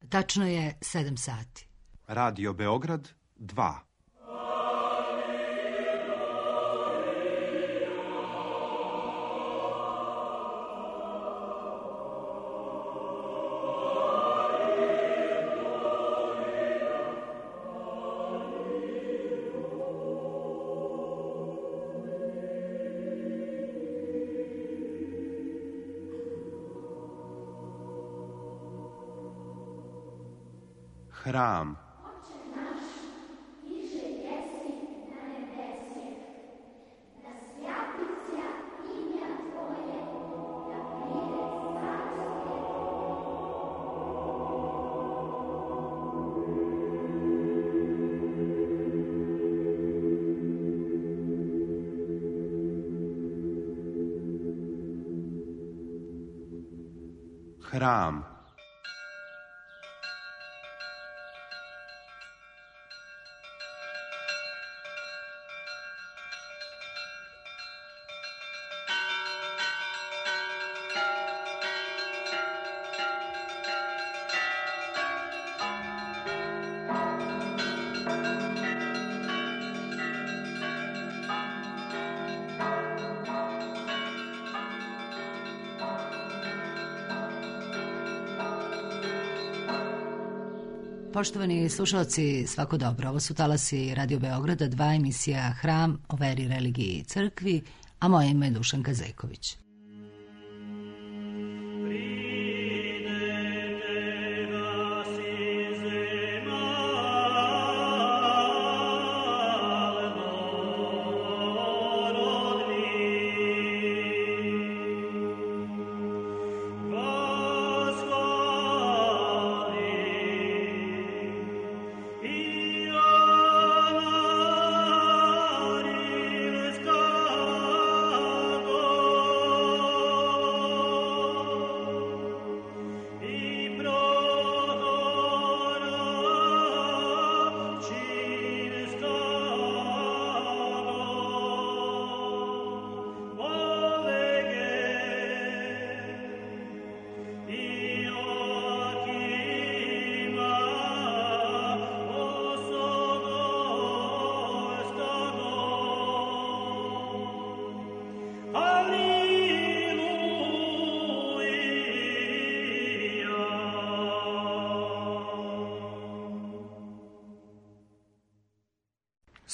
Tačno je 7 sati. Radio Beograd 2. Hram. Hram. Poštovani slušalci, svako dobro. Ovo su talasi Radio Beograda 2, emisija Hram o veri, religiji i crkvi, a moje ime je Dušanka Zejković.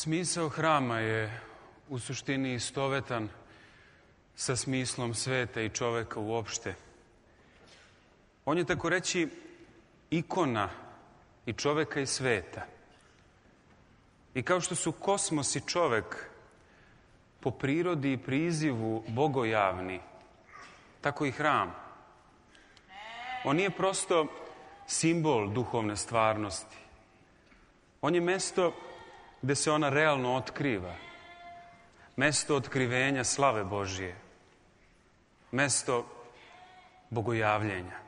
Smisao hrama je u suštini istovetan sa smislom sveta i čoveka uopšte. On je tako reći ikona i čoveka i sveta. I kao što su kosmos i čovek po prirodi i prizivu bogojavni, tako i hram. On nije prosto simbol duhovne stvarnosti. On je mesto gde se ona realno otkriva. Mesto otkrivenja slave Božije. Mesto bogojavljenja.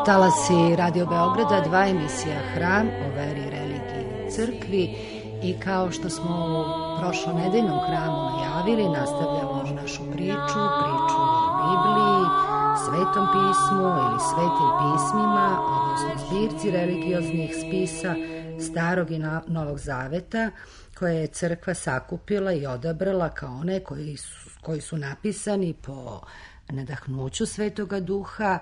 Talasi Radio Beograda, 2 emisija Hram o veri, religiji i crkvi, i kao što smo u prošlonedeljnom hramu najavili, nastavljamo našu priču o Bibliji, Svetom pismu ili Svetim pismima, odnosno zbirci religioznih spisa Starog i Novog Zaveta, koje je crkva sakupila i odabrala kao one koji su napisani po nadahnuću Svetoga Duha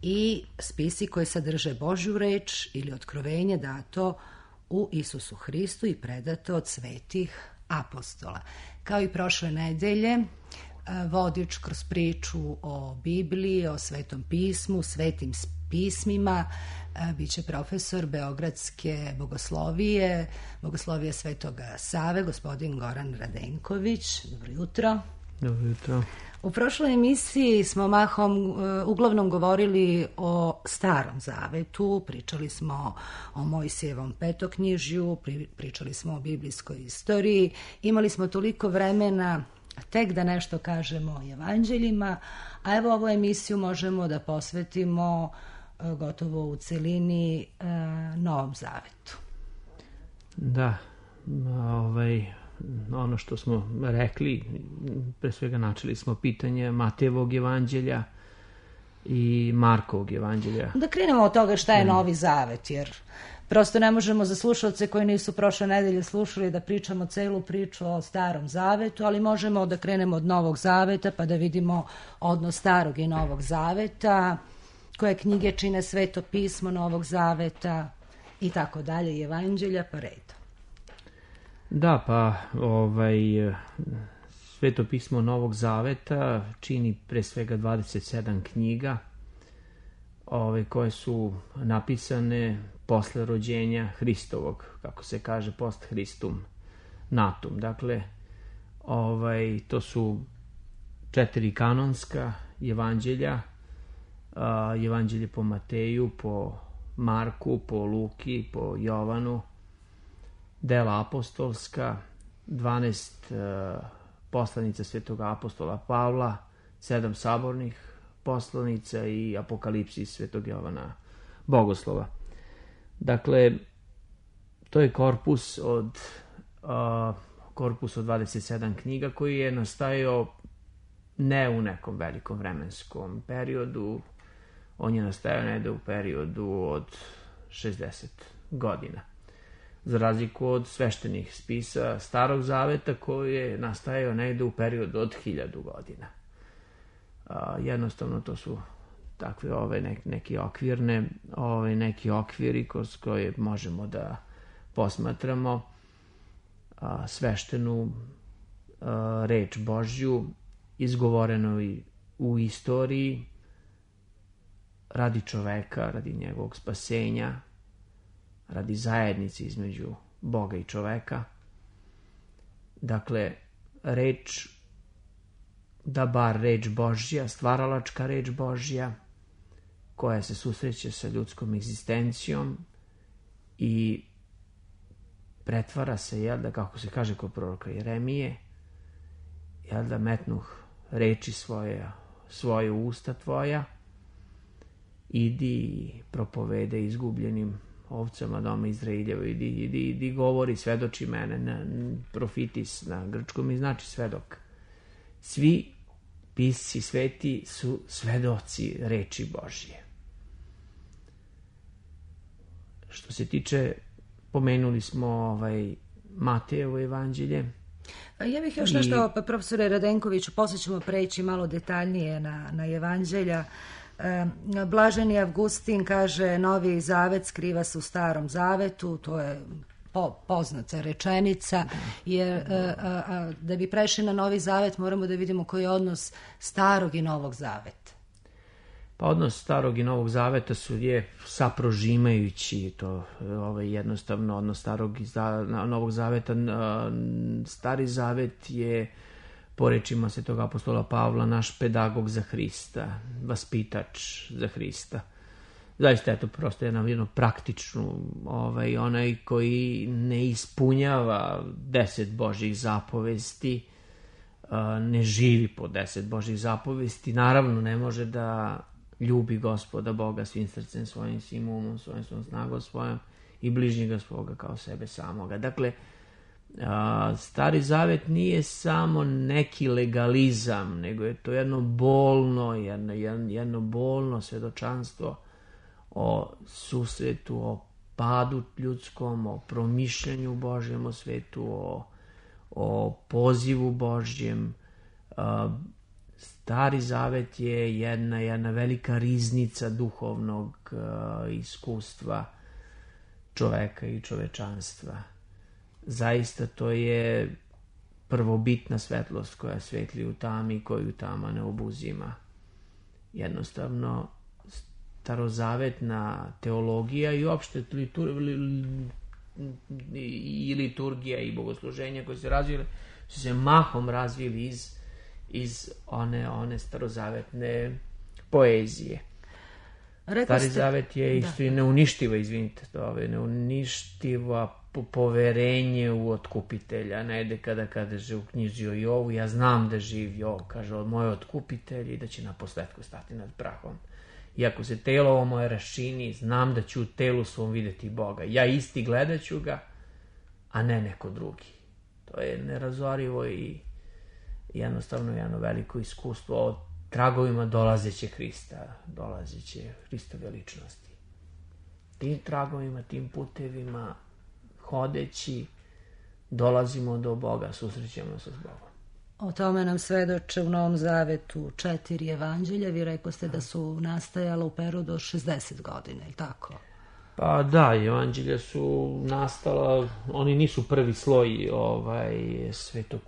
i spisi koji sadrže Božju reč ili otkrovenje dato u Isusu Hristu i predato od svetih apostola. Kao i prošle nedelje, vodič kroz priču o Bibliji, o Svetom pismu, svetim pismima, biće profesor Beogradske bogoslovije Svetoga Save, gospodin Goran Radenković. Dobro jutro. Dobro jutro. U prošloj emisiji smo uglavnom govorili o Starom Zavetu, pričali smo o Mojsijevom petoknjižju, pričali smo o biblijskoj istoriji, imali smo toliko vremena tek da nešto kažemo o evanđeljima, a evo ovu emisiju možemo da posvetimo gotovo u celini Novom Zavetu. Da, ono što smo rekli, pre svega načeli smo pitanje Matejevog evanđelja i Markovog evanđelja. Da krenemo od toga šta je Novi Zavet, jer prosto ne možemo za slušalce koji nisu prošle nedelje slušali da pričamo celu priču o Starom Zavetu, ali možemo da krenemo od Novog Zaveta pa da vidimo odnos Starog i Novog Zaveta, koje knjige čine Sveto pismo Novog Zaveta i tako dalje, i evanđelja pa redom. Da, pa Sveto pismo Novog Zaveta čini pre svega 27 knjiga koje su napisane posle rođenja Hristovog, kako se kaže, post Hristum natum. Dakle, to su 4 kanonska evanđelja, evanđelje po Mateju, po Marku, po Luki, po Jovanu, dela apostolska, 12 poslanica Svetog apostola Pavla, 7 sabornih poslanica i apokalipsis Svetog Jovana Bogoslova. Dakle, to je korpus od 27 knjiga koji je nastajao ne u nekom velikom vremenskom periodu, on je nastajao negde u periodu od 60 godina. Za razliku od sveštenih spisa Starog Zaveta koji je nastajao negde u periodu od 1000 godina. Jednostavno to su takve neki okviri kroz koje možemo da posmatramo sveštenu reč Božju izgovoreno i u istoriji radi čoveka, radi njegovog spasenja, radi zajednice između Boga i čoveka. Dakle, reč Božja, stvaralačka reč Božja, koja se susreće sa ljudskom egzistencijom i pretvara se, kako se kaže kod proroka Jeremije, metnuh reči svoje usta tvoja, idi propovede izgubljenim ovcama doma Izraeljevo, idi govori, svedoči mene, profitis na grčkom i znači svedok. Svi pisci sveti su svedoci reči Božje. Što se tiče, pomenuli smo Matejevo evanđelje. Ja bih još nešto, profesore Radenkoviću, posle ćemo preći malo detaljnije na evanđelja. Blaženi Avgustin kaže Novi Zavet skriva se u Starom Zavetu, to je poznata rečenica, jer da bi prešli na Novi Zavet moramo da vidimo koji je odnos Starog i Novog Zaveta. Pa odnos Starog i Novog Zaveta je saprožimajući, to jednostavno odnos Starog i Novog Zaveta. Stari Zavet je, po rečima Svetog apostola Pavla, naš pedagog za Hrista, vaspitač za Hrista. Zaista je to prosto jedno praktično, onaj koji ne ispunjava 10 Božjih zapovesti, ne živi po 10 Božjih zapovesti, naravno ne može da ljubi Gospoda Boga svim srcem svojim, svim umom svojim, svojom snagom svojom i bližnjega svoga kao sebe samoga. Dakle, Stari Zavet nije samo neki legalizam, nego je to jedno bolno svedočanstvo o susretu, o padu ljudskom, o promišljanju Božjem o svetu, o pozivu Božjem. Stari Zavet je jedna velika riznica duhovnog iskustva čoveka i čovečanstva. Zaista to je prvobitna svetlost koja svetli u tami, koju tama ne obuzima. Jednostavno, starozavetna teologija i uopšte i liturgija i bogosluženja koje se razvile, su se mahom razvili iz one starozavetne poezije. Stari Zavet je isto i neuništivo, neuništivo poverenje u otkupitelja. Najde kada kaže u knjizi o Jovu, ja znam da živ Jov, kaže, od moje otkupitelji, da će na posledku stati nad prahom. Iako se telo ovo moje raščini, znam da ću u telu svom videti Boga. Ja isti gledat ću ga, a ne neko drugi. To je nerazorivo i jednostavno jedno veliko iskustvo o tragovima dolazeće Hristove ličnosti. Tim tragovima, tim putevima, hodeći, dolazimo do Boga, susrećemo se s Bogom. O tome nam svedoče u Novom Zavetu 4 evanđelja. Vi rekoste da su nastajala u periodu od 60 godina, je li tako? Pa da, evanđelja su nastala, oni nisu prvi sloj Svetog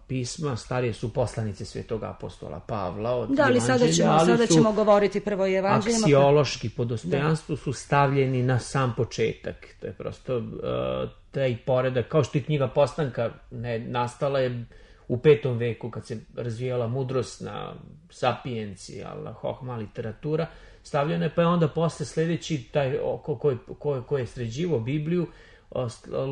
pisma, starije su poslanice Svetog apostola Pavla od evanđelja, ali sada ćemo govoriti prvo o evanđeljima. Aksiološki po dostojanstvu su stavljeni na sam početak. To je prosto taj poredak, kao što je knjiga Postanka nastala je u 5. veku kad se razvijala mudrosna sapijencija, hohma literatura, stavljena je, pa je onda posle sledeći taj ko je sređivo Bibliju,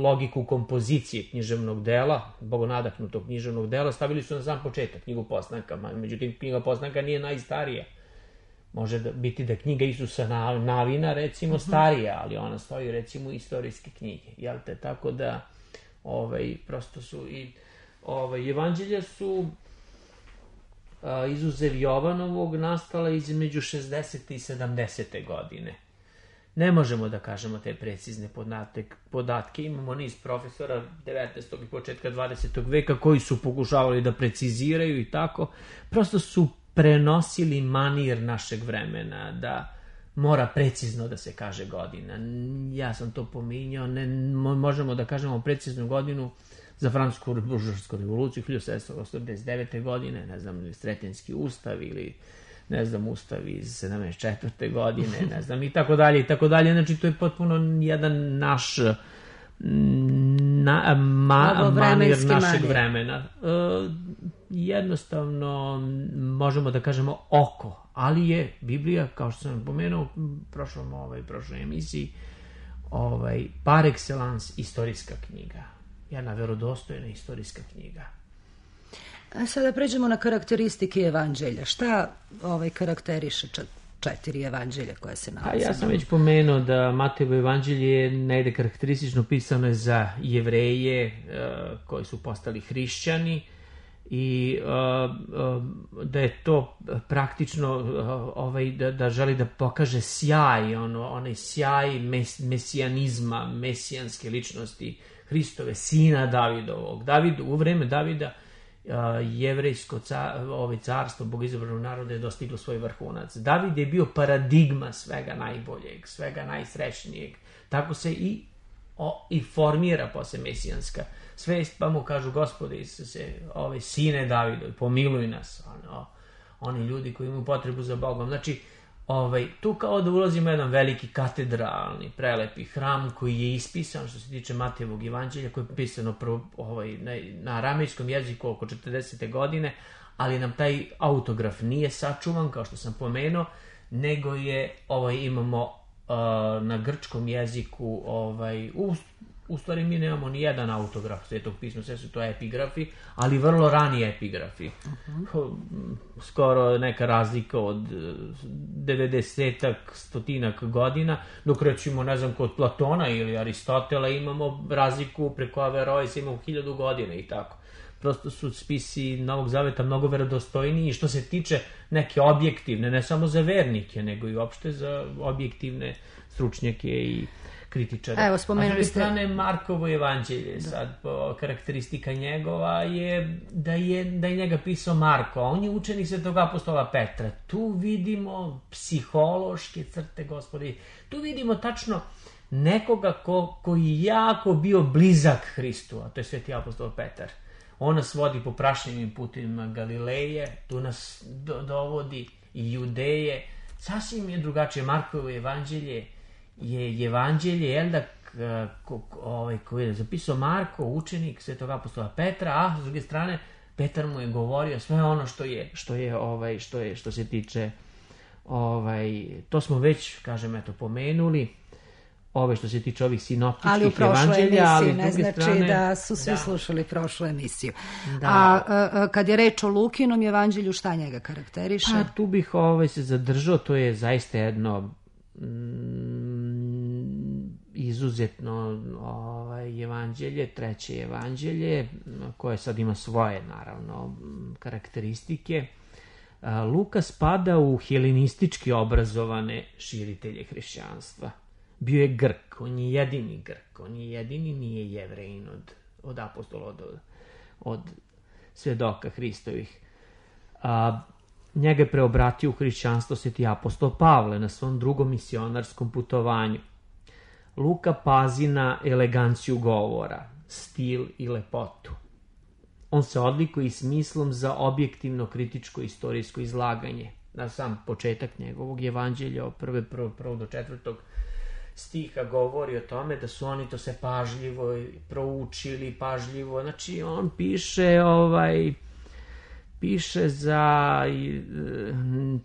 logiku kompozicije književnog dela, bogonadahnutog književnog dela, stavili su na sam početak knjigu Postanka. Međutim, knjiga Postanka nije najstarija. Može biti da knjiga Isusa Navina, recimo, starija, ali ona stoji, recimo, u istorijske knjige. Jel te? Tako da, prosto su i evanđelja su izuzev Jovanovog nastala između 60. i 70. godine. Ne možemo da kažemo te precizne podatke. Imamo niz profesora 19. i početka 20. veka koji su pokušavali da preciziraju i tako. Prosto su prenosili manir našeg vremena, da mora precizno da se kaže godina. Ja sam to pominjao, ne možemo da kažemo preciznu godinu za Francusku buržoasku revoluciju 1789. godine, ne znam, Sretenski ustav ili ne znam, ustav iz 74. godine, ne znam, i tako dalje, i tako dalje. Znači, to je potpuno jedan naš manir našeg vremena. Jednostavno, možemo da kažemo oko, ali je Biblija, kao što sam pomenuo u prošloj emisiji, par excellence istorijska knjiga. Jedna verodostojna istorijska knjiga. A sada pređemo na karakteristike evanđelja. Šta karakteriše 4 evanđelja koje se nalaze? Ja sam već pomenuo da Matejevo evanđelje je negde karakteristično pisano za Jevreje koji su postali hrišćani i da je to praktično da želi da pokaže sjaj, onaj sjaj mesijanizma, mesijanske ličnosti Hristove, sina Davidovog. U vreme Davida jevrejsko carstvo bogoizabranog naroda je dostiglo svoj vrhunac. David je bio paradigma svega najboljeg, svega najsrećnijeg. Tako se i formira posle mesijanska svest, pa mu kažu: Gospode Isuse, sine Davidovi, pomiluj nas. Oni ljudi koji imaju potrebu za Bogom. Znači, tu kao da ulazimo jedan veliki katedralni, prelepi hram koji je ispisan, što se tiče Matejevog evanđelja, koji je pisano na aramejskom jeziku oko 40. godine, ali nam taj autograf nije sačuvan, kao što sam pomenuo, nego je, imamo na grčkom jeziku u stvari mi nemamo ni jedan autograf Svetog pisma, sve su to epigrafi, ali vrlo rani epigrafi. Skoro neka razlika od 90-ak, 100-ak godina, dok recimo, ne znam, kod Platona ili Aristotela imamo razliku preko Averroesa, imamo 1000 godina i tako. Prosto su spisi Novog Zaveta mnogo verodostojniji što se tiče neke objektivne, ne samo za vernike, nego i uopšte za objektivne stručnjake i kritičare. Evo, spomenuli ste... A s druge strane, Markovo evanđelje, sad karakteristika njegova je da je njega pisao Marko, a on je učenik Svetog apostola Petra. Tu vidimo psihološke crte, Gospodi, tu vidimo tačno nekoga koji je jako bio blizak Hristu, a to je Sveti apostol Petar. On nas vodi po prašnjivim putima Galileje, tu nas dovodi i Judeje. Sasvim je drugačije. Markovo evanđelje je evanđelje, jel da, koji je zapisao Marko, učenik Svetog apostola Petra, a s druge strane Petar mu je govorio sve ono što se tiče, to smo već, kažem, eto, pomenuli, što se tiče ovih sinoptičkih evanđelja, ali ne znači da su svi slušali prošlu emisiju. A kad je reč o Lukinom evanđelju, šta njega karakteriše? Tu bih se zadržao, to je zaista jedno izuzetno evanđelje, treće evanđelje, koje sad ima svoje, naravno, karakteristike. Luka spada u helenistički obrazovane širitelje hrišćanstva. Bio je Grk, on je jedini Grk, on je jedini, nije Jevrejin od apostola, od svedoka Hristovih. Njega je preobratio u hrišćanstvo Sveti apostol Pavle na svom drugom misionarskom putovanju. Luka pazi na eleganciju govora, stil i lepotu. On se odlikuje i smislom za objektivno kritičko istorijsko izlaganje. Na sam početak njegovog evanđelja, od 1. do 4. stiha govori o tome da su oni to se pažljivo proučili, pažljivo, znači on piše za,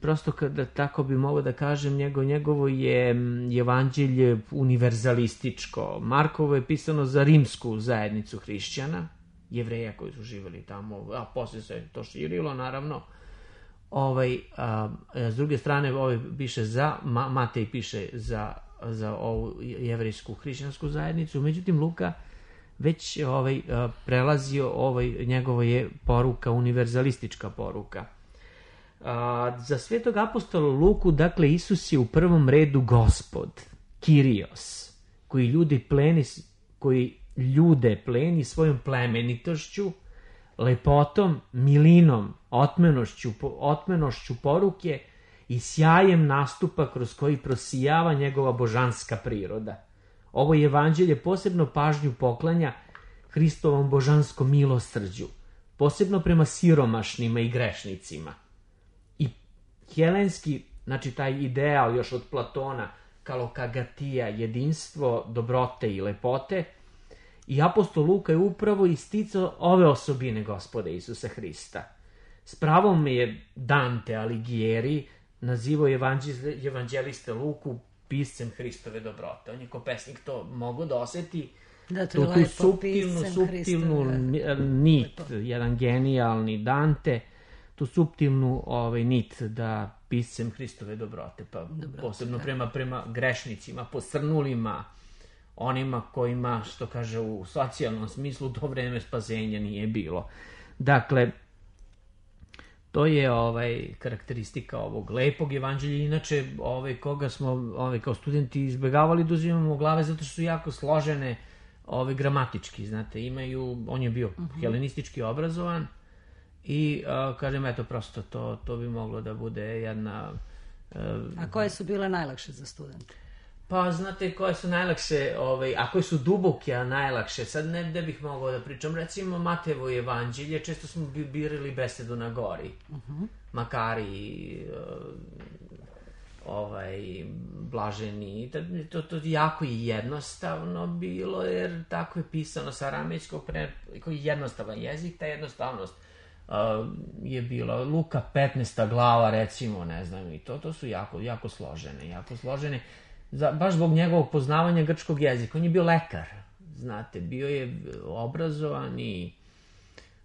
prosto kada tako bi mogao da kažem, njegovo je evanđelje univerzalističko. Markovo je pisano za rimsku zajednicu hrišćana, Jevreja koji su živjeli tamo, a poslije se to širilo, naravno. S druge strane, piše za, Matej piše za ovu jevrejsku hrišćansku zajednicu, međutim Luka već prelazio, njegovo je poruka, univerzalistička poruka. Za Svetog apostola Luku, dakle, Isus je u prvom redu Gospod, Kyrios, koji ljude pleni svojom plemenitošću, lepotom, milinom, otmenošću poruke i sjajem nastupa kroz koji prosijava njegova božanska priroda. Ovo evanđelje posebno pažnju poklanja Hristovom božanskom milosrđu, posebno prema siromašnima i grešnicima. I helenski, znači taj ideal još od Platona, kalokagatija, jedinstvo, dobrote i lepote, i apostol Luka je upravo isticao ove osobine Gospoda Isusa Hrista. S pravom je Dante Alighieri nazivao evanđeliste Luku piscem Hristove dobrote. On je ko pesnik to mogao da oseti, tu suptilnu nit, jedan genijalni Dante, tu suptilnu nit da piscem Hristove dobrote, pa posebno prema grešnicima, posrnulima, onima kojima, što kaže u socijalnom smislu, to vreme spasenja nije bilo. Dakle, to je karakteristika ovog lepog evanđelja. Inače, koga smo kao studenti izbegavali da uzimamo u glave, zato što su jako složene gramatički, znate, on je bio helenistički obrazovan i, kažem, eto, prosto to bi moglo da bude jedna... A koje su bile najlakše za studente? Pa, znate, koje su najlakše, a koje su duboke, a najlakše, sad ne bih mogao da pričam, recimo Matejevo evanđelje, često smo birali besedu na gori, Makari, blaženi, to jako i jednostavno bilo, jer tako je pisano sa aramejskog, koji je jednostavan jezik, ta jednostavnost je bila. Luka 15. glava, recimo, ne znam, i to su jako složene, baš zbog njegovog poznavanja grčkog jezika. On je bio lekar, znate, bio je obrazovan i,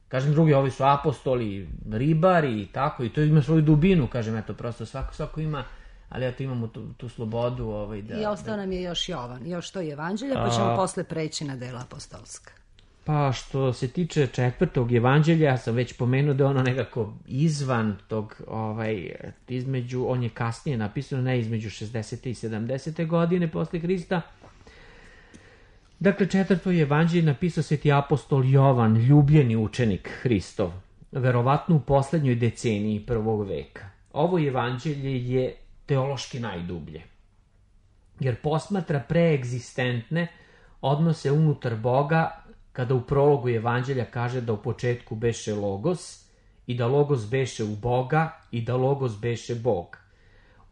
kažem, drugi, ovi su apostoli, ribari i tako, i to ima svoju dubinu, kažem, eto, prosto svako ima, ali eto, imamo tu slobodu. I ostao nam je još Jovan, još to je evanđelje, pa ćemo posle preći na dela apostolska. Pa što se tiče 4. evanđelja, ja sam već pomenuo da je ono nekako izvan tog, između, on je kasnije napisano, ne između 60. i 70. godine posle Hrista. Dakle, 4. evanđelje napisao sveti apostol Jovan, ljubljeni učenik Hristov, verovatno u poslednjoj deceniji 1. veka. Ovo evanđelje je teološki najdublje, jer posmatra preegzistentne odnose unutar Boga, kada u prologu evanđelja kaže da u početku beše Logos i da Logos beše u Boga i da Logos beše Bog.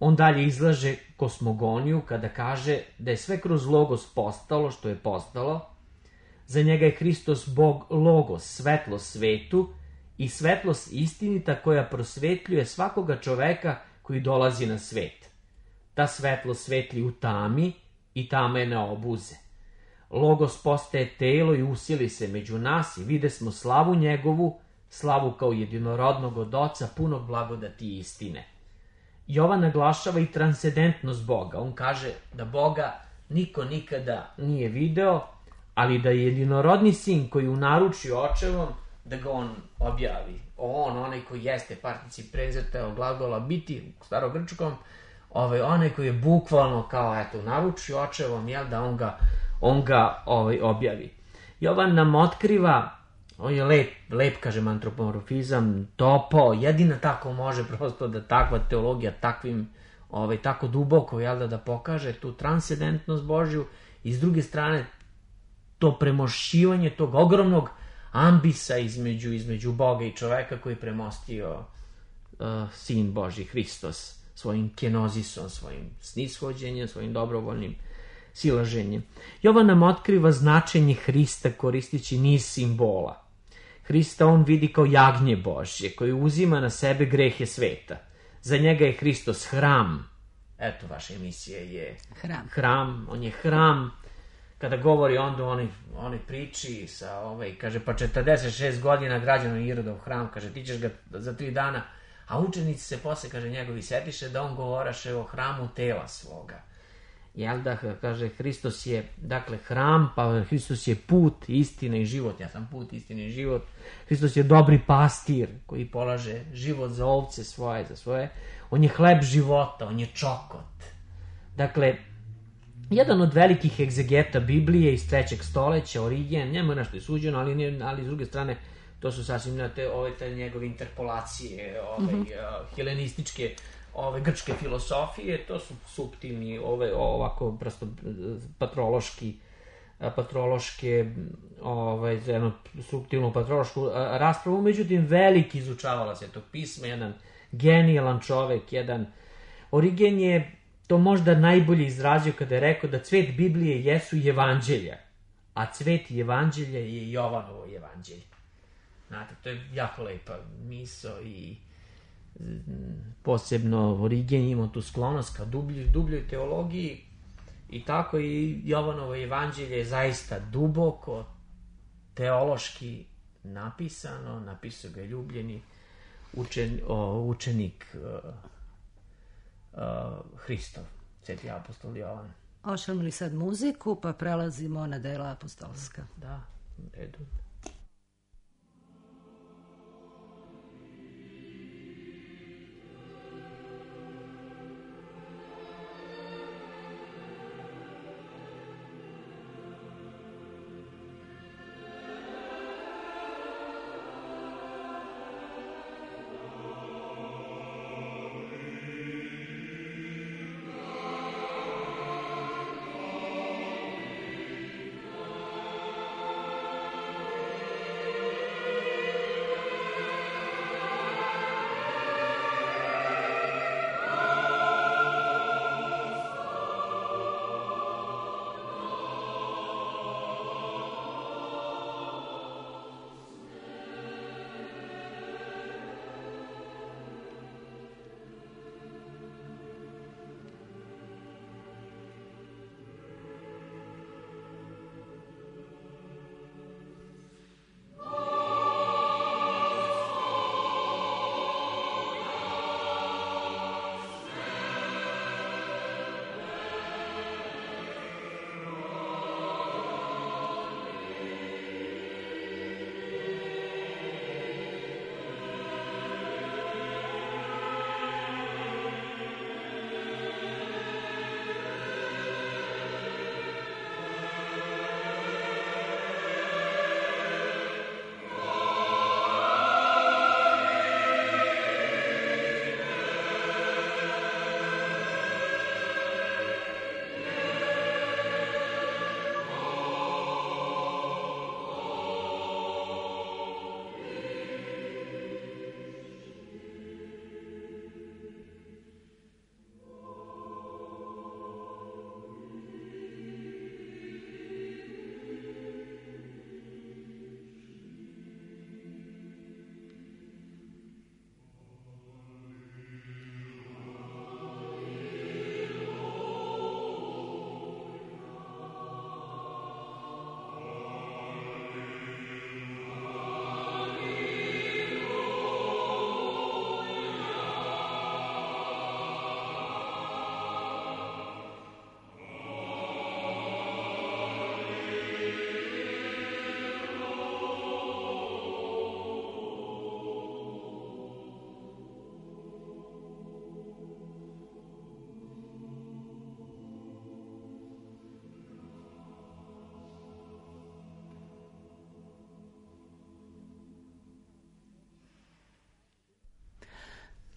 On dalje izlaže kosmogoniju kada kaže da je sve kroz Logos postalo što je postalo. Za njega je Hristos Bog Logos, svetlost svetu i svetlost istinita koja prosvetljuje svakoga čoveka koji dolazi na svet. Ta svetlost svetli u tami i tama je ne obuze. Logos postaje telo i usili se među nas i vide smo slavu njegovu, slavu kao jedinorodnog od Oca, punog blagodati i istine. Jovan naglašava i transcendentnost Boga. On kaže da Boga niko nikada nije video, ali da je jedinorodni sin koji u naručju očevom, da ga on objavi. Onaj koji jeste particip prezerta od glagola biti u starogrčkom, onaj koji je bukvalno kao u naručju očevom, da on ga objavi. Jovan nam otkriva, on je lep, kažem, antropomorfizam, topao, jedina tako može prosto da takva teologija takvim, tako duboko, da pokaže tu transcendentnost Božju i s druge strane to premošćivanje tog ogromnog ambisa između Boga i čoveka koji je premostio sin Božji, Hristos, svojim kenozisom, svojim snishođenjem, svojim dobrovoljnim silaženjem. Jovan nam otkriva značenje Hrista koristeći niz simbola. Hrista on vidi kao jagnje Božje koje uzima na sebe grehe sveta. Za njega je Hristos hram. Eto, vaša emisija je hram. On je hram. Kada govori onda oni priči sa kaže, pa 46 godina građano Irodov hram, kaže, ti ćeš ga za 3 dana, a učenici se posle, kaže, njegovi setiše da on govoraše o hramu tela svoga. Kaže, Hristos je, dakle, hram, pa Hristos je put, istina i život. Ja sam put, istina i život. Hristos je dobri pastir koji polaže život za ovce svoje, za svoje. On je hleb života, on je čokot. Dakle, jedan od velikih egzegeta Biblije iz 3. stoljeća, Origen, njemu je nešto i suđeno, ali s druge strane, to su sasvim te njegove interpolacije, helenističke, grčke filosofije, to su suptilni, ovako prosto patrološke, jednu suptilnu patrološku raspravu, međutim veliki izučavala Svetog pisma, jedan genijalan čovek, Origen je to možda najbolje izrazio kada je rekao da cvet Biblije jesu evanđelja, a cvet evanđelja je Jovanovo evanđelje. Znate, to je jako lepa misao i posebno Origen ima tu sklonost ka dubljoj teologiji i tako i Jovanovo evanđelje je zaista duboko teološki napisano, napisao ga je ljubljeni učenik Hristov, sveti apostol Jovan. Ošljamo li sad muziku pa prelazimo na dela apostolska? Da, redu.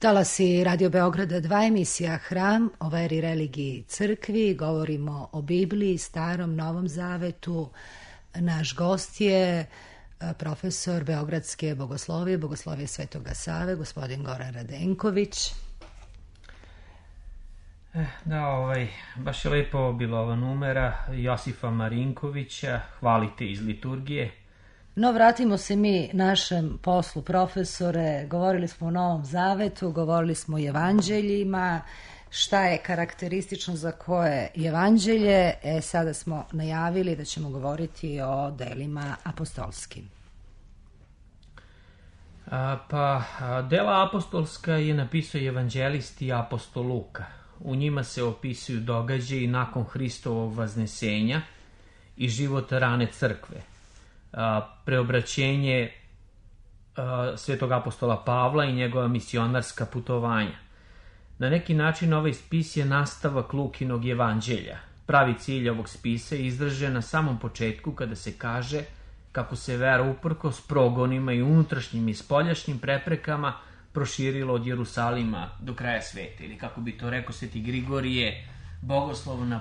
Talasi Radio Beograda 2, emisija Hram o veri, religiji i crkvi. Govorimo o Bibliji, Starom, Novom Zavetu. Naš gost je profesor Beogradske bogoslovije Svetoga Save, gospodin Goran Radenković. Da, baš je lepo bila ova numera Josifa Marinkovića, Hvalite iz liturgije. No, vratimo se mi našem poslu, profesore. Govorili smo o Novom Zavetu, govorili smo o evanđeljima, šta je karakteristično za koje evanđelje. Sada smo najavili da ćemo govoriti o delima apostolskim. Dela apostolska je napisao evanđelist i apostol Luka. U njima se opisuju događaji nakon Hristovog vaznesenja i život rane crkve. Preobraćenje svetog apostola Pavla i njegova misionarska putovanja. Na neki način ovaj spis je nastavak Lukinog evanđelja. Pravi cilj ovog spisa je izražen na samom početku kada se kaže kako se vera uprkos progonima i unutrašnjim i spoljašnjim preprekama proširilo od Jerusalima do kraja sveta. Ili kako bi to rekao Sveti Grigorije, bogoslovno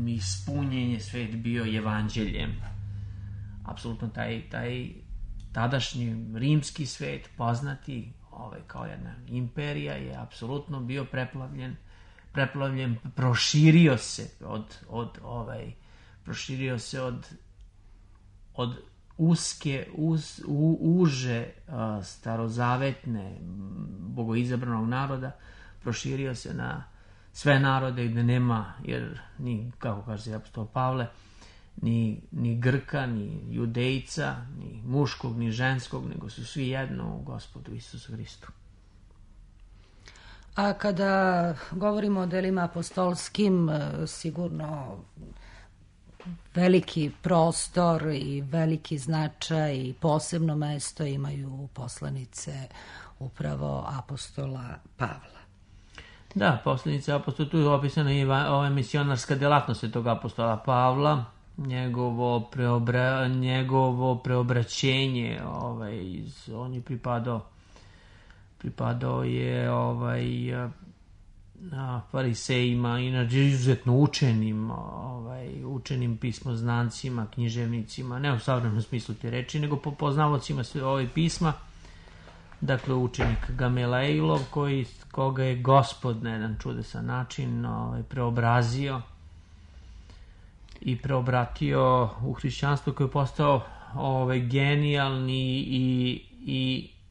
ispunjenje svet bio evanđeljem. Apsolutno taj tadašnji rimski svet, poznati kao jedna imperija, je apsolutno bio preplavljen, proširio se od uske, uže starozavetne bogoizabranog naroda, proširio se na sve narode gde nema, jer ni, kako kaže apostol Pavle, ni Grka, ni Judejca, ni muškog, ni ženskog, nego su svi jedno u Gospodu Isusu Hristu. A kada govorimo o delima apostolskim, sigurno veliki prostor i veliki značaj i posebno mesto imaju poslanice upravo apostola Pavla. Da, poslanice apostola, tu je opisana i ova misionarska delatnost tog apostola Pavla, njegovo preobraćenje, on je pripadao je farisejima, inače izuzetno učenim pismoznancima, književnicima, ne u savremenom smislu te reči, nego po poznavocima sve ove pisma. Dakle, učenik Gamelejlov, koga je Gospod na jedan čudesan način preobrazio i preobratio u hrišćanstvo, koji je postao genijalni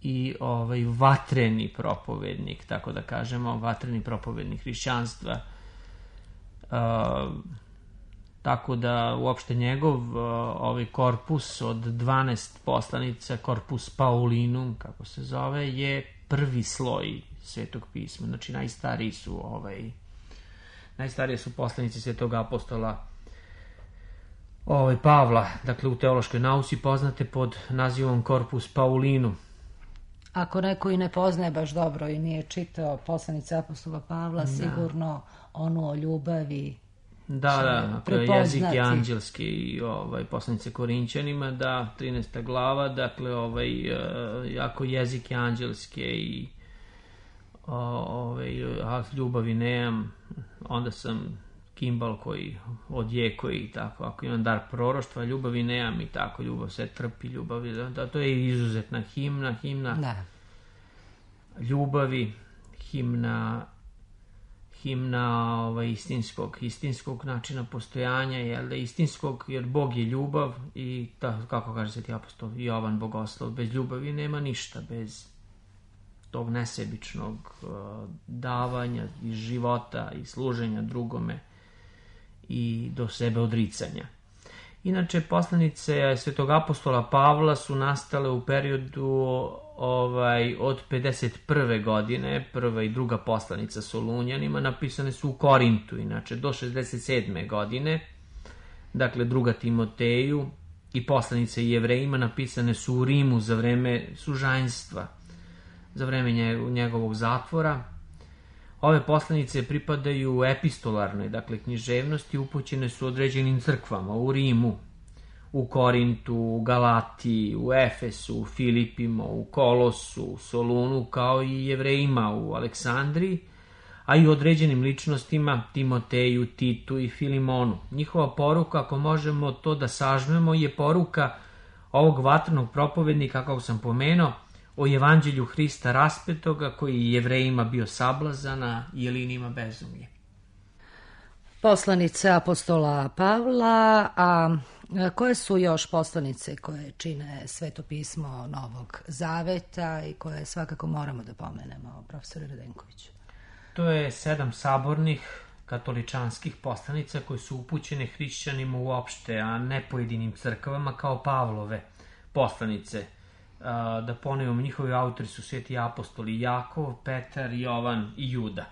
i vatreni propovednik, tako da kažemo, vatreni propovednik hrišćanstva. Tako da uopšte njegov korpus od 12 poslanica, korpus Paulinum, kako se zove, je prvi sloj Svetog pisma. Znači najstarije su poslanici Svetog apostola Pavla, dakle u teološkoj nauci poznate pod nazivom korpus Paulinum. Ako neko i ne poznaje baš dobro i nije čitao poslanice apostola Pavla, sigurno onu o ljubavi. Da, jezik je anđelski i poslanice Korinćanima, da, 13. glava, dakle, ako jezik je anđelski i ljubavi nemam, onda sam kimbal koji odjeko i tako, ako imam dar proroštva, ljubavi nemam i tako, ljubav se trpi, to je izuzetna himna da. Ljubavi, himna istinskog načina postojanja, jer Bog je ljubav i kako kaže sveti apostol Jovan Bogoslov, bez ljubavi nema ništa, bez tog nesebičnog davanja i života i služenja drugome i do sebe odricanja. Inače, poslanice svetog apostola Pavla su nastale u periodu od 51. godine, prva i druga poslanica Solunjanima, napisane su u Korintu, inače do 67. godine, dakle druga Timoteju i poslanice Jevrejima napisane su u Rimu za vreme sužanjstva, za vreme njegovog zatvora. Ove poslanice pripadaju epistolarnoj, dakle književnosti, upućene su određenim crkvama u Rimu, u Korintu, u Galatiji, u Efesu, u Filipima, u Kolosu, u Solunu, kao i Jevrejima u Aleksandriji, a i određenim ličnostima Timoteju, Titu i Filimonu. Njihova poruka, ako možemo to da sažmemo, je poruka ovog vatrenog propovednika, kako sam pomenuo, o evanđelju Hrista raspetoga, koji je Jevrejima bio sablazana i Jelinima bezumlje. Poslanice apostola Pavla, a koje su još poslanice koje čine Sveto pismo Novog Zaveta i koje svakako moramo da pomenemo, profesore Radenkoviću? To je 7 sabornih katoličanskih poslanica koje su upućene hrišćanima uopšte, a ne pojedinim crkvama kao Pavlove poslanice. Da ponovimo, njihovi autori su sveti apostoli Jakov, Petar, Jovan i Juda.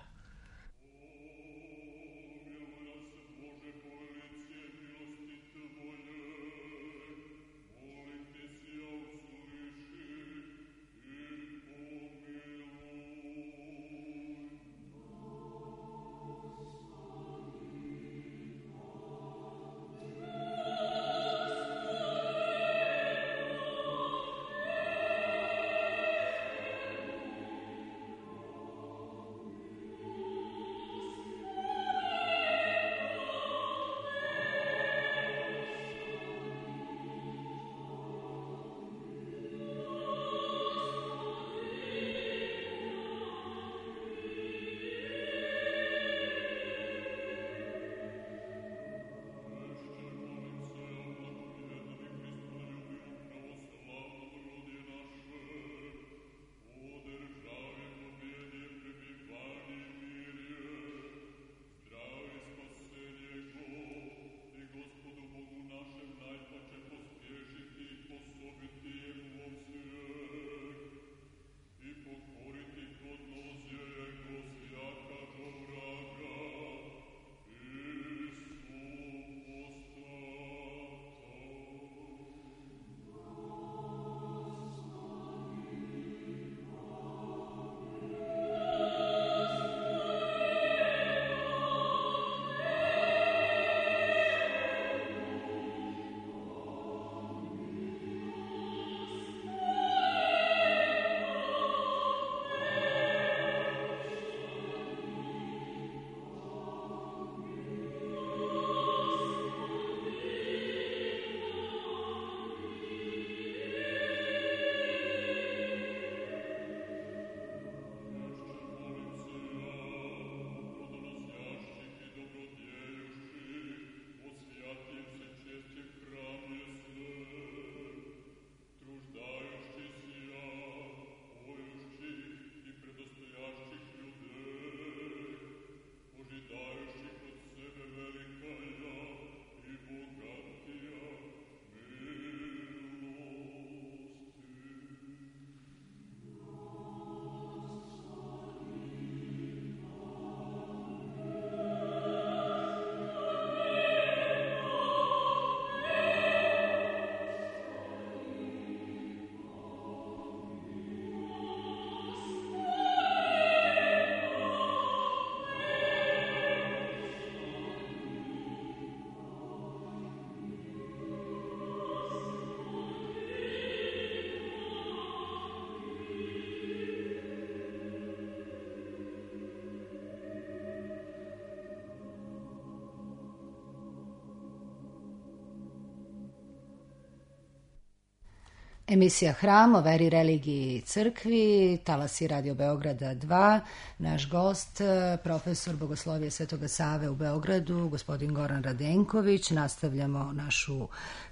Emisija Hram o veri, religiji i crkvi, talasi Radio Beograda 2. Naš gost, profesor Bogoslovije Svetoga Save u Beogradu, gospodin Goran Radenković. Nastavljamo našu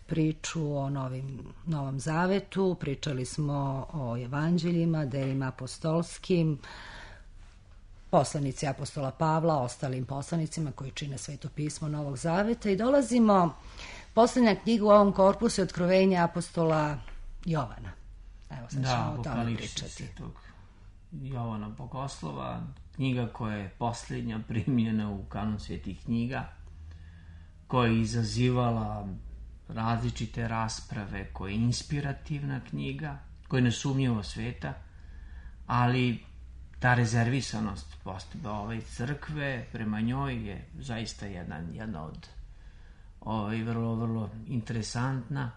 priču o Novom Zavetu. Pričali smo o evanđeljima, delima apostolskim, poslanici apostola Pavla, ostalim poslanicima koji čine Sveto pismo Novog Zaveta i dolazimo, poslednja knjiga u ovom korpusu je Otkrovenje apostola Jovana. Evo, sad ćemo o tome pričati. Jovana Bogoslova, knjiga koja je posljednja primljena u kanon svetih knjiga, koja je izazivala različite rasprave, koja je inspirativna knjiga, koja je nesumnjivo sveta, ali ta rezervisanost crkve prema njoj je zaista jedna vrlo, vrlo interesantna.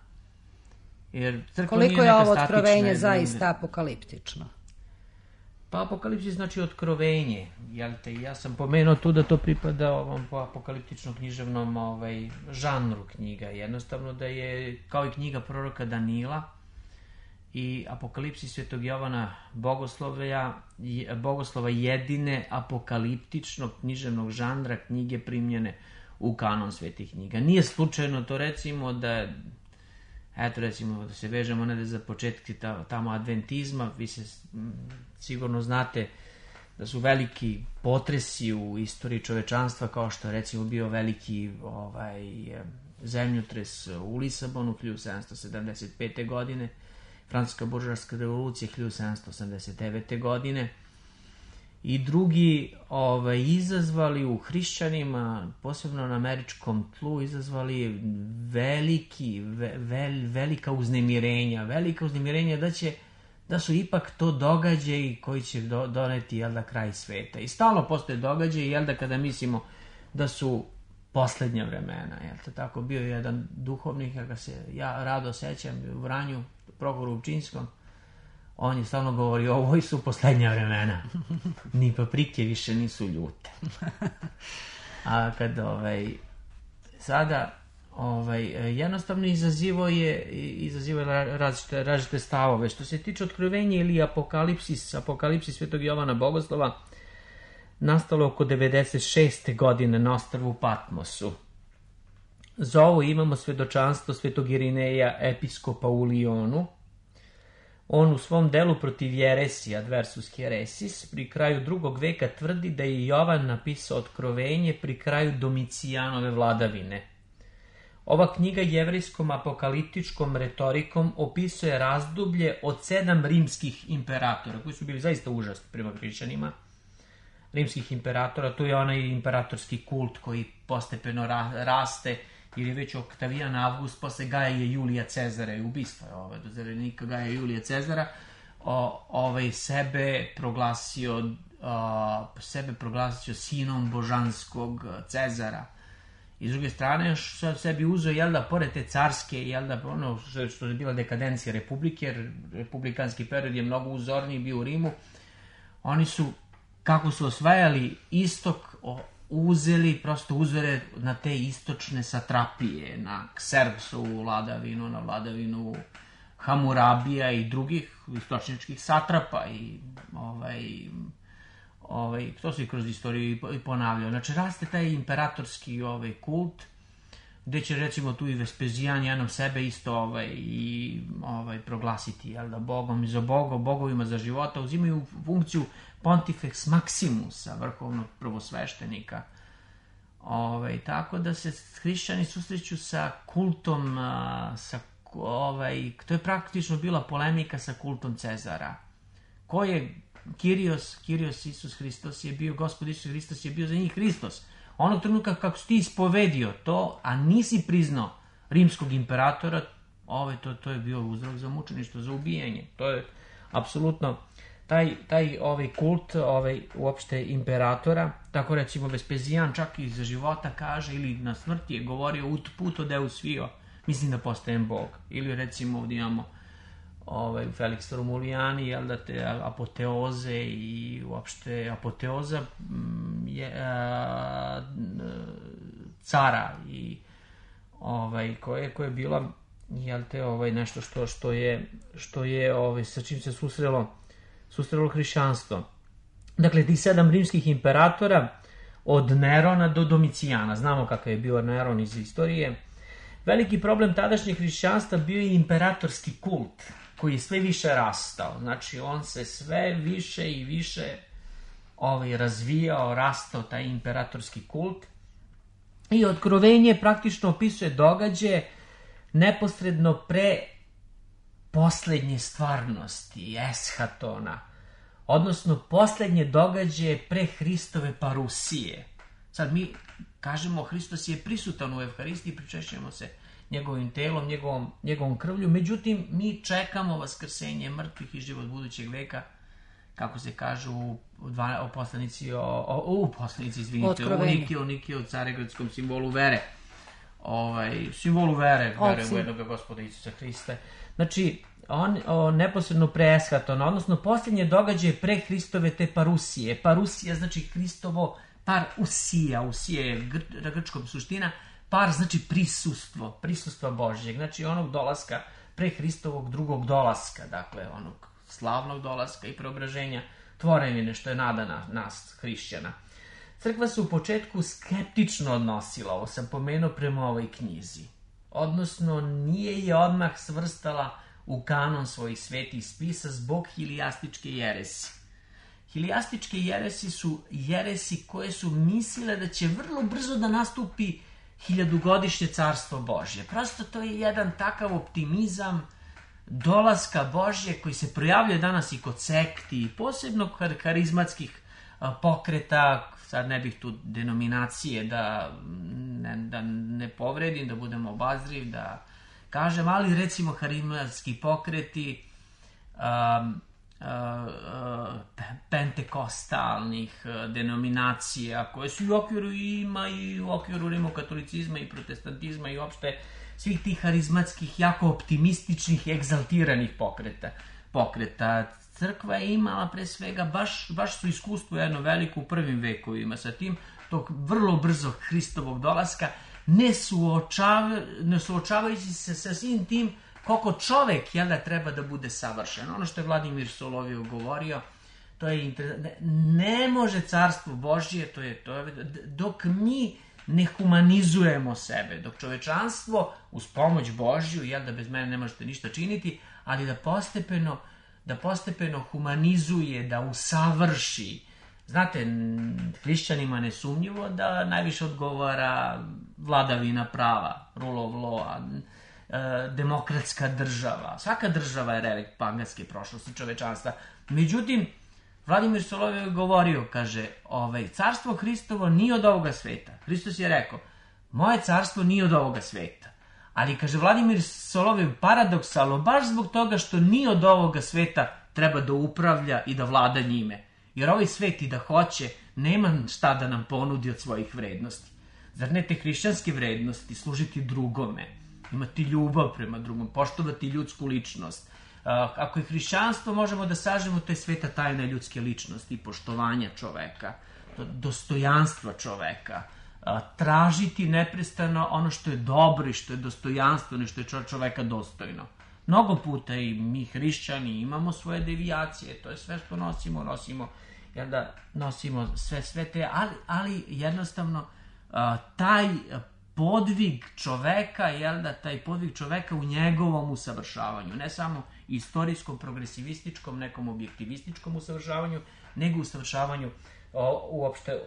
Jer koliko je ovo otkrovenje zaista apokaliptično? Pa apokalipsis znači otkrovenje. Ja sam pomenuo tu da to pripada ovom apokaliptičnom književnom žanru knjiga. Jednostavno da je kao i knjiga proroka Danila i apokalipsis Svetog Jovana Bogoslova jedine apokaliptičnog književnog žanra knjige primljene u kanon svetih knjiga. Nije slučajno to, recimo da se vežemo ne za početke tamo adventizma. Vi se sigurno znate da su veliki potresi u istoriji čovečanstva, kao što je recimo bio veliki zemljotres u Lisabonu 1775. godine, Francuska buržoaska revolucija 1789. godine i drugi izazvali u hrišćanima, posebno na američkom tlu, izazvali velika uznemirenja da su ipak to događaji koji će doneti kraj sveta. I stalno postoje događaji, kada mislimo da su poslednja vremena. Tako bio je jedan duhovnik, kako se ja rado sećam, u Vranju, Prohoru Upčinskom. On je stalno govorio, ovo su poslednja vremena. Ni paprike više nisu ljute. A kad sada jednostavno izazivo je različite stavove. Što se tiče otkrovenja ili apokalipsis Svetog Jovana Bogoslova, nastalo oko 96. godine na ostrvu Patmosu. Za ovo imamo svedočanstvo Svetog Irineja, episkopa u Lionu. On u svom delu protiv jeresija, Adversus Heresis, pri kraju 2. veka tvrdi da je Jovan napisao otkrovenje pri kraju Domicijanove vladavine. Ova knjiga jevrejskom apokaliptičkom retorikom opisuje razdoblje od 7 rimskih imperatora, koji su bili zaista užasni prema hrišćanima. Rimskih imperatora, tu je onaj imperatorski kult koji postepeno raste, jer je već Oktavijan Avgust posle Gaja Julija Cezara i ubistva do zarednika Gaja Julija Cezara sebe proglasio sinom božanskog Cezara. I s druge strane sebi uzeo, pored te carske, ono što je bila dekadencija republike, jer republikanski period je mnogo uzorniji bio u Rimu, oni su, kako su osvajali istok, uzeli prosto uzore na te istočne satrapije, na Kserksovu vladavinu, na vladavinu Hamurabija i drugih istočničkih satrapa i to se kroz istoriju i ponavljao. Znači, raste taj imperatorski kult, gde će recimo tu i Vespezijan jednom sebe isto proglasiti Bogom, za bogovima za života, uzimaju funkciju Pontifex Maximusa, vrhovnog prvosveštenika. Tako da se hrišćani susreću sa kultom, to je praktično bila polemika sa kultom Cezara. Ko je Kyrios Isus Hristos je bio, Gospod Isus Hristos je bio za njih Hristos. Onog trenutka kako si ti ispovedio to, a nisi priznao rimskog imperatora, to je bio uzrok za mučeništvo, za ubijanje. To je apsolutno taj kult uopšte imperatora. Tako recimo Vespezijan čak i za života kaže, ili na smrti je govorio ut puto deus fio, mislim da postajem Bog. Ili recimo ovdje imamo Felix Romulijani, te apoteoze i uopšte apoteoza cara i koje je bila nešto što je sa čim se susrelo hrišćanstvo. Dakle, ti 7 rimskih imperatora od Nerona do Domicijana, znamo kakav je bio Neron iz istorije. Veliki problem tadašnjeg hrišćanstva bio je imperatorski kult, koji je sve više rastao. Znači, on se sve više i više razvijao, rastao taj imperatorski kult. I otkrovenje praktično opisuje događaje neposredno pre poslednje stvarnosti, eshatona, odnosno poslednje događaje pre Hristove parusije. Sad mi kažemo Hristos je prisutan u Evharistiji, pričešćujemo se njegovim telom, njegovom krvlju, međutim mi čekamo vaskrsenje mrtvih i život budućeg veka, kako se kažu u Nikiju, Carigradskom simbolu vere. simbolu vere u jednog Gospoda Isusa Hrista. Znači, on neposredno pre eshatona, odnosno posljednje događaje pre Hristove te parusije. Parusija znači Hristovo, usija je grčkom suština, par znači prisustvo Božjeg, znači onog dolaska pre Hristovog drugog dolaska, dakle onog slavnog dolaska i preobraženja tvorevine, što je nada nas hrišćana. Crkva se u početku skeptično odnosila, ovo sam pomenuo, prema ovoj knjizi. Odnosno, nije je odmah svrstala u kanon svojih svetih spisa zbog hilijastičke jeresi. Hilijastičke jeresi su jeresi koje su mislile da će vrlo brzo da nastupi 1000-godišnje carstvo Božje. Prosto to je jedan takav optimizam dolaska Božje koji se projavljuje danas i kod sekti, posebno kod karizmatskih pokreta, sad ne bih tu denominacije da ne povredim, da budem obazriv, da kažem, ali recimo karizmatski pokreti pentekostalnih denominacija koje su i u okviru i u okviru rimokatolicizma i protestantizma i uopšte svih tih harizmatskih, jako optimističnih, egzaltiranih pokreta. Crkva je imala pre svega baš su iskustvo jedno veliko u prvim vekovima sa tim, tog vrlo brzo Hristovog dolaska, ne suočavajući se sa svim tim koliko čovek treba da bude savršen. Ono što je Vladimir Solovjev govorio, to je ne može carstvo Božje, to je dok mi ne humanizujemo sebe, dok čovečanstvo uz pomoć Božju, da bez mene ne možete ništa činiti, ali da postepeno humanizuje, da usavrši. Znate, hrišćanima nesumnjivo da najviše odgovara vladavina prava, rule of law, demokratska država. Svaka država je relikt paganske prošlosti čovečanstva. Međutim, Vladimir Solovjev je govorio, kaže, carstvo Hristovo nije od ovoga sveta. Hristos je rekao, moje carstvo nije od ovoga sveta. Ali, kaže Vladimir Solovjev, paradoksalno, baš zbog toga što nije od ovoga sveta, treba da upravlja i da vlada njime. Jer ovaj svet i da hoće, nema šta da nam ponudi od svojih vrednosti. Zar ne te hrišćanske vrednosti, služiti drugome, imati ljubav prema drugom, poštovati ljudsku ličnost. Ako je hrišćanstvo, možemo da sažemo, to je sveta tajna ljudske ličnosti, poštovanja čoveka, dostojanstva čoveka, tražiti neprestano ono što je dobro i što je dostojanstveno i što je čoveka dostojno. Mnogo puta i mi hrišćani imamo svoje devijacije, to je sve što nosimo sve te, ali jednostavno taj podvig čoveka, taj podvig čoveka u njegovom usavršavanju, ne samo istorijskom, progresivističkom, nekom objektivističkom usavršavanju, nego usavršavanju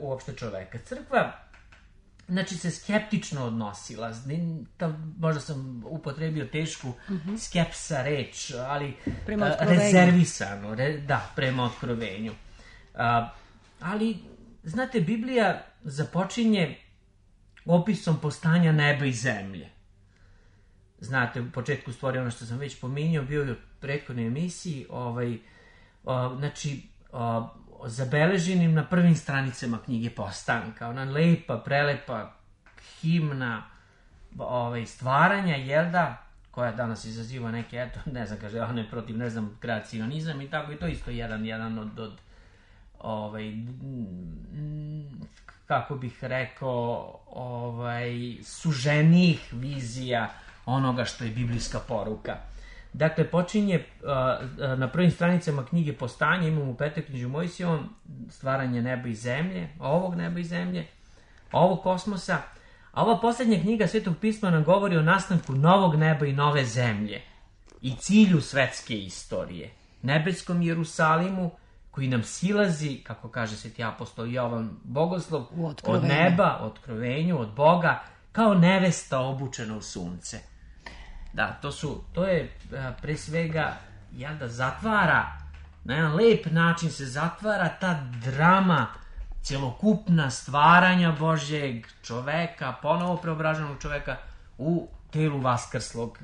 uopšte čoveka. Crkva, znači, se skeptično odnosila, možda sam upotrebio tešku skepsa reč, ali rezervisano, prema otkrovenju. Ali, znate, Biblija započinje opisom postanja neba i zemlje. Znate, u početku stvari, ono što sam već pominjao, bio je u prethodnoj emisiji, zabeleženim na prvim stranicama knjige Postanka. Ona lepa, prelepa himna stvaranja, koja danas izaziva neke, ne znam, kaže, on je protiv, kreacionizam i tako, i to isto jedan od kako bih rekao, suženijih vizija onoga što je biblijska poruka. Dakle, počinje na prvim stranicama knjige Postanja, imamo u Petoknjižju Mojsijevom stvaranje neba i zemlje, ovog neba i zemlje, ovog kosmosa, a ova posljednja knjiga Svetog pisma nam govori o nastanku novog neba i nove zemlje i cilju svetske istorije, nebeskom Jerusalimu, koji nam silazi, kako kaže sveti apostol Jovan Bogoslov, od neba, otkrovenju, od Boga, kao nevesta obučena u sunce. Da, to je pre svega, zatvara, na jedan lep način se zatvara ta drama celokupna stvaranja Božjeg čoveka, ponovo preobraženog čoveka u telu vaskrslog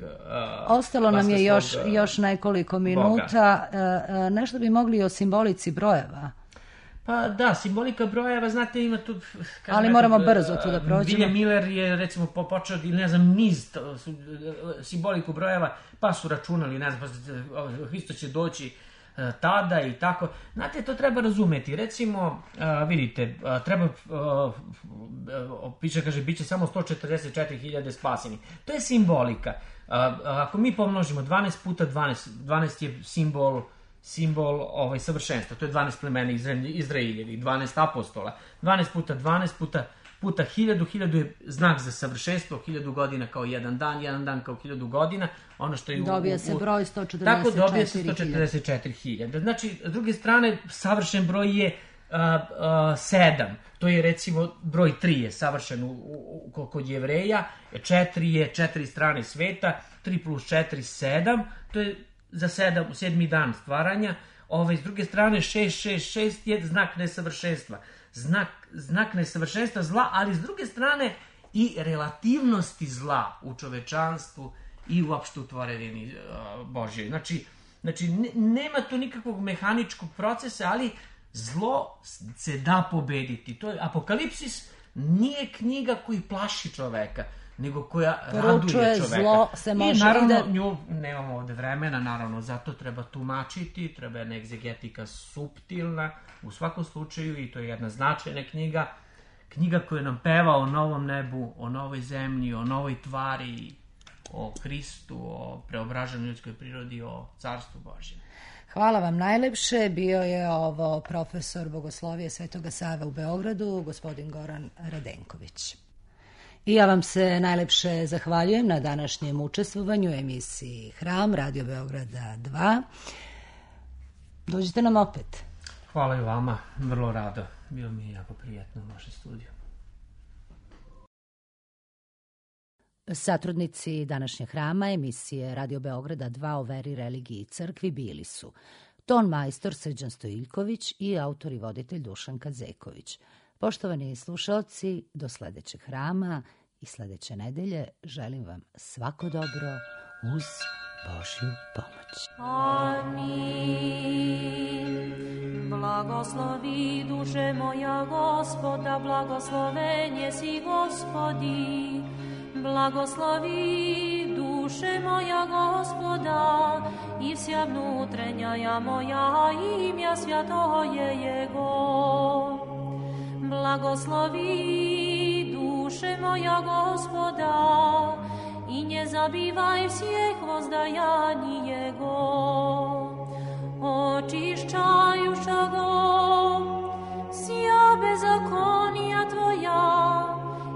Ostalo nam je još nekoliko minuta. Nešto bi mogli o simbolici brojeva. Pa da, simbolika brojeva, znate, ima tu... Ali moramo brzo tu da prođemo. William Miller je, recimo, počeo, ne znam, niz simboliku brojeva, pa su računali, ne znam, Hristo će doći tada i tako. Znate, to treba razumeti. Recimo, vidite, treba, piše, kaže, bit će samo 144.000 spaseni. To je simbolika. Ako mi pomnožimo 12 puta 12, 12 je simbol savršenstva. To je 12 plemena Izraeljevi, 12 apostola. 12 puta 12 puta 1000, 1000 je znak za savršenstvo, 1000 godina kao jedan dan kao 1000 godina. Ono što je dobija se broj 144.000. Tako dobija se 144.000. Znači, s druge strane, savršen broj je 7. To je, recimo, broj 3 je savršen kod Jevreja, 4 je 4 strane sveta, 3 plus 4, 7. To je za 7. dan stvaranja. S druge strane, 666 je znak nesavršenstva. Znak nesavršenstva zla, ali s druge strane i relativnosti zla u čovečanstvu i uopšte u tvorevini Božjoj. Znači, nema tu nikakvog mehaničkog procesa, ali zlo se da pobediti. To je Apokalipsis nije knjiga koji plaši čoveka, nego koja raduje čoveka. Zlo se može. I naravno, nju nemamo ovde vremena, naravno, zato treba tumačiti, treba jedna egzegetika suptilna, u svakom slučaju, i to je jedna značajna knjiga, knjiga koja nam peva o novom nebu, o novoj zemlji, o novoj tvari, o Hristu, o preobraženoj ljudskoj prirodi, o carstvu Božjem. Hvala vam najlepše. Bio je ovo profesor Bogoslovije Svetoga Save u Beogradu, gospodin Goran Radenković. I ja vam se najlepše zahvaljujem na današnjem učestvovanju u emisiji Hram, Radio Beograda 2. Dođite nam opet. Hvala i vama, vrlo rado. Bilo mi je jako prijetno u vašem studiju. Satrudnici današnjeg Hrama, emisije Radio Beograda 2 o veri, religiji i crkvi bili su ton majstor Srđan Stojiljković i autor i voditelj Dušan Kadzeković. Poštovani slušalci, do sledećeg Hrama i sledeće nedelje želim vam svako dobro uz Božju pomoć. Amin. Blagoslovi duše moja Gospoda, blagosloven jesi Gospodi. Blagoslovi duše moja Gospoda i vsja внутренняя moja imja svjatoje Jego. Blagoslovi duše moja Gospoda i nie zabivaj всех воздаянij Jego. Očišćajušago sja bezakonija Tvoja,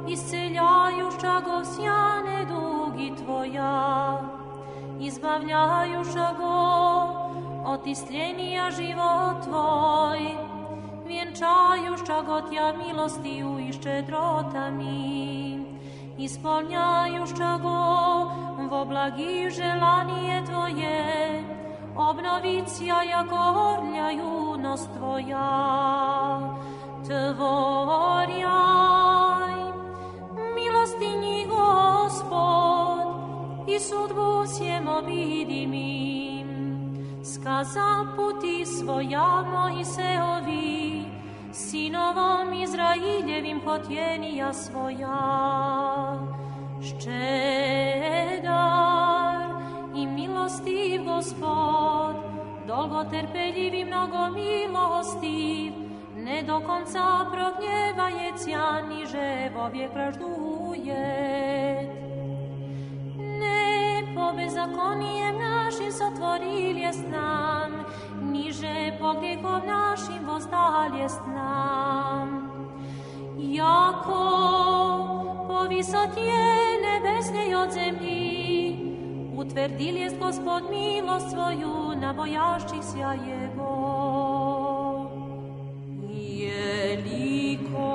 isceljajušago sja nedugi Tvoja, izbavljajušago od istljenija život Tvoj, vjenčajušago Tja milostiju i ščedrotami, ispolnjajušago vo blagi želanije Tvoje, obnovicija jako orlja junost Tvoja. Tvorjaj, milostinji Gospod, i sudbu всем obidimim. Skaza puti svoja Mojseovi, sinovom Izraeljevim hotjenija svoja. Ščedar i milostiv Gospod, dolgo terpeljiv i mnogo milostiv, ne do konca prognjevajecja, niže vovijek vražduje. Ne po bezakonijem našim sotvoril jest nam, niže po grijehom našim vozdal jest nam. Jako po visotje nebesnej od zemlji, utvrdil jest Gospod milost svoju na bojašćih sja Jego. Jeliko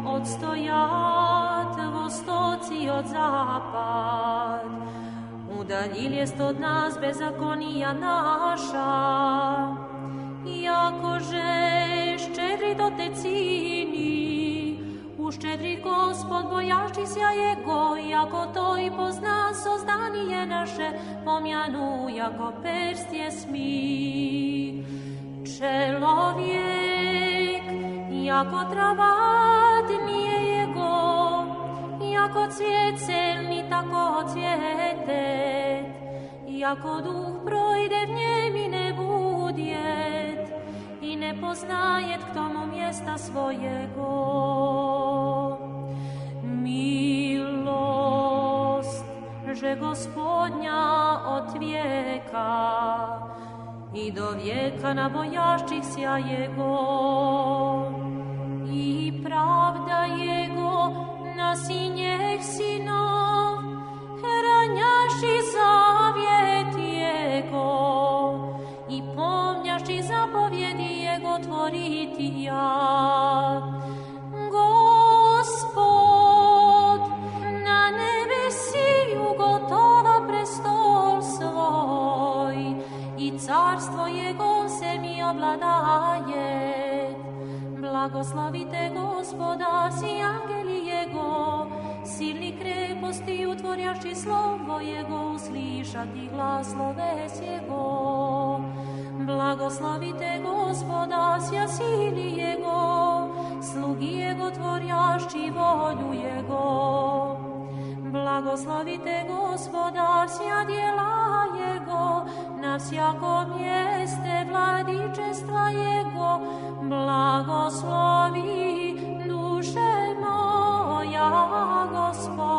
odstojat vostoci od zapad, udaljil jest od nas bezakonija naša, jakože ščedri do tecini, uščedri Gospod bojašćih sja Jego, jako to i pozna sozdanije naše, pomjanu jako perstje smi. Čelovje jako travat nije jego, jako cvijet selni tako cvijetet, jako duh projde v njem i ne budjet, i ne poznajet k tomu mjesta svojego. Milost, že Gospodnja od vijeka i do vijeka na bojašćih sja Jego, i pravda Jego na sinjeh sinov, hranjaši zavjet Jego i pomnjaši zapovjedi Jego tvoriti ja. Gospod na nebesi ugotova prestol svoj i carstvo Jego se mi obladaje. Blagoslavite Gospoda, si angeli Jego, silni kreposti utvorjaši slovo Jego, uslišati glas sloves Jego. Blagoslavite Gospoda, sja sili Jego, slugi Jego tvorjaši volju Jego. Blagoslavite Gospoda, sja djela Jego, na vsjakom mjeste vladičestva Jego. Blagoslovi duše moja Gospoda.